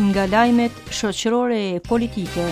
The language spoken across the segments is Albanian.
Nga lajmet shoqërore e politike.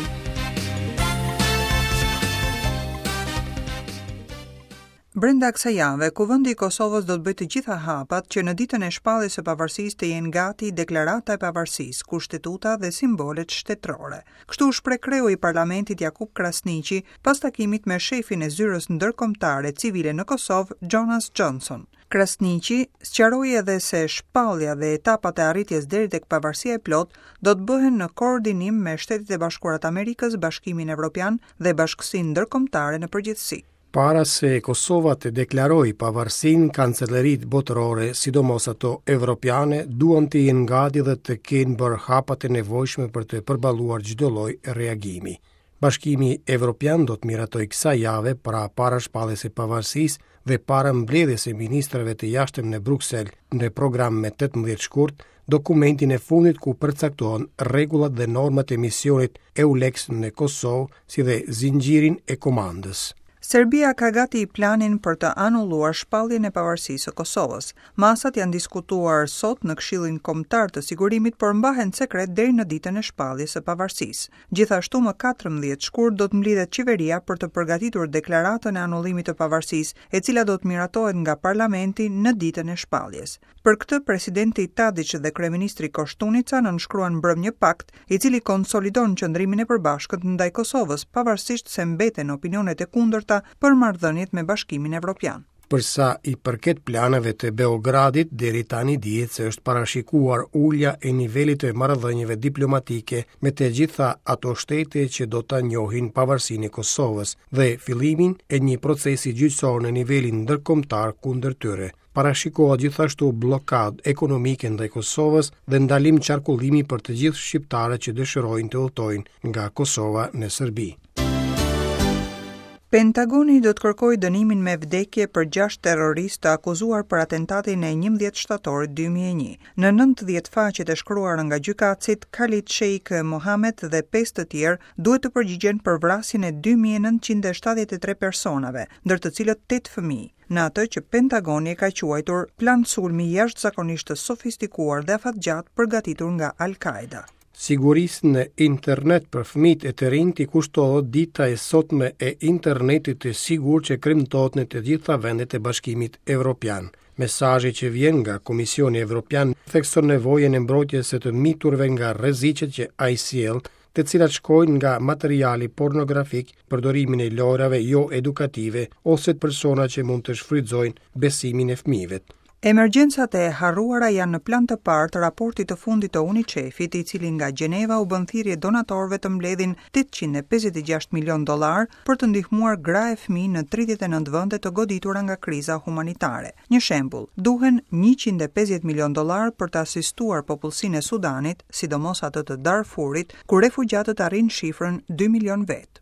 Brenda kësaj jave, Kuvendi i Kosovës do të bëjë të gjitha hapat që në ditën e shpalljes së pavarësisë të jenë gati Deklarata e Pavarësisë, Kushtetuta dhe simbolet shtetërore. Kështu u shpreh kreu i Parlamentit Jakup Krasniqi pas takimit me shefin e Zyrës Ndërkombëtare Civile në Kosovë, Jonas Johnson. Krasniqi sqaroi edhe se shpallja dhe etapat e arritjes deri tek pavarësia e plotë do të bëhen në koordinim me Shtetet e Bashkuara të Amerikës, Bashkimin Evropian dhe bashkësinë ndërkombëtare në përgjithësi. Para se Kosova të deklarojë pavarësinë, kanceleritë botërore, sidomos ato evropiane, duan të jenë gati dhe të kenë bërë hapat e nevojshme për të përballuar çdo lloj reagimi. Bashkimi Evropian do të miratojë kësaj jave, pra para shpalljes së pavarësisë dhe para mbledhjes së ministrave të jashtëm në Bruksel në program me 18 shkurt, dokumentin e fundit ku përcaktohen rregullat dhe normat e misionit EULEX në Kosovë, si dhe zinxhirin e komandës. Serbia ka gati planin për të anulluar shpalljen e pavarësisë së Kosovës. Masat janë diskutuar sot në Këshillin Kombëtar të Sigurimit, por mbahen sekret deri në ditën e shpalljes së pavarësisë. Gjithashtu më 14 shkurt do të mblidhet qeveria për të përgatitur deklaratën e anullimit të pavarësisë, e cila do të miratohet nga parlamenti në ditën e shpalljes. Për këtë, presidenti Tadiç dhe kryeministri Koshtunica nënshkruan mbrëmë një pakt, i cili konsolidon qëndrimin e përbashkët ndaj Kosovës, pavarësisht se mbeten opinionet e kundërta për marrëdhëniet me Bashkimin Evropian. Për sa i përket planeve të Beogradit, deri tani dihet se është parashikuar ulja e nivelit të marrëdhënieve diplomatike me të gjitha ato shtete që do ta njohin pavarësinë e Kosovës dhe fillimin e një procesi gjyqësor në nivelin ndërkombëtar kundër tyre. Parashikohet gjithashtu bllokadë ekonomike ndaj Kosovës dhe ndalim qarkullimi për të gjithë shqiptarët që dëshirojnë të udhëtojnë nga Kosova në Serbi. Pentagoni do të kërkojë dënimin me vdekje për 6 terroristë të akuzuar për atentatin e 11 shtatorit 2001. Në 90 faqet e shkruara nga gjykatësit, Khalid Sheikh Mohammed dhe 5 të tjerë duhet të përgjigjen për vrasjen e 2973 personave, ndër të cilët 8 fëmijë, në atë që Pentagoni e ka quajtur plan sulmi jashtëzakonisht të sofistikuar dhe afatgjatë përgatitur nga Al-Qaeda. Sigurisë në internet për fëmijët e të rinjtë i kushtohet dita e sotme e internetit të sigurt që kremtohet në të gjitha vendet e Bashkimit Evropian. Mesazhi që vjen nga Komisioni Evropian thekson nevojën e mbrojtjes së të miturve nga rreziqet që ai sjell, të cilat shkojnë nga materiali pornografik, përdorimin e lojërave jo edukative ose persona që mund të shfrytëzojnë besimin e fëmijëve. Emergjencat e harruara janë në plan të parë të raportit të fundit të UNICEF-it, i cili nga Gjeneva u bën thirrje donatorëve të mbledhin 856 milionë dollarë për të ndihmuar gra e fëmijë në 39 vende të goditura nga kriza humanitare. Një shembull, duhen 150 milionë dollarë për të asistuar popullsinë e Sudanit, sidomos atë të Darfurit, ku refugjatët arrijnë shifrën 2 milionë vetë.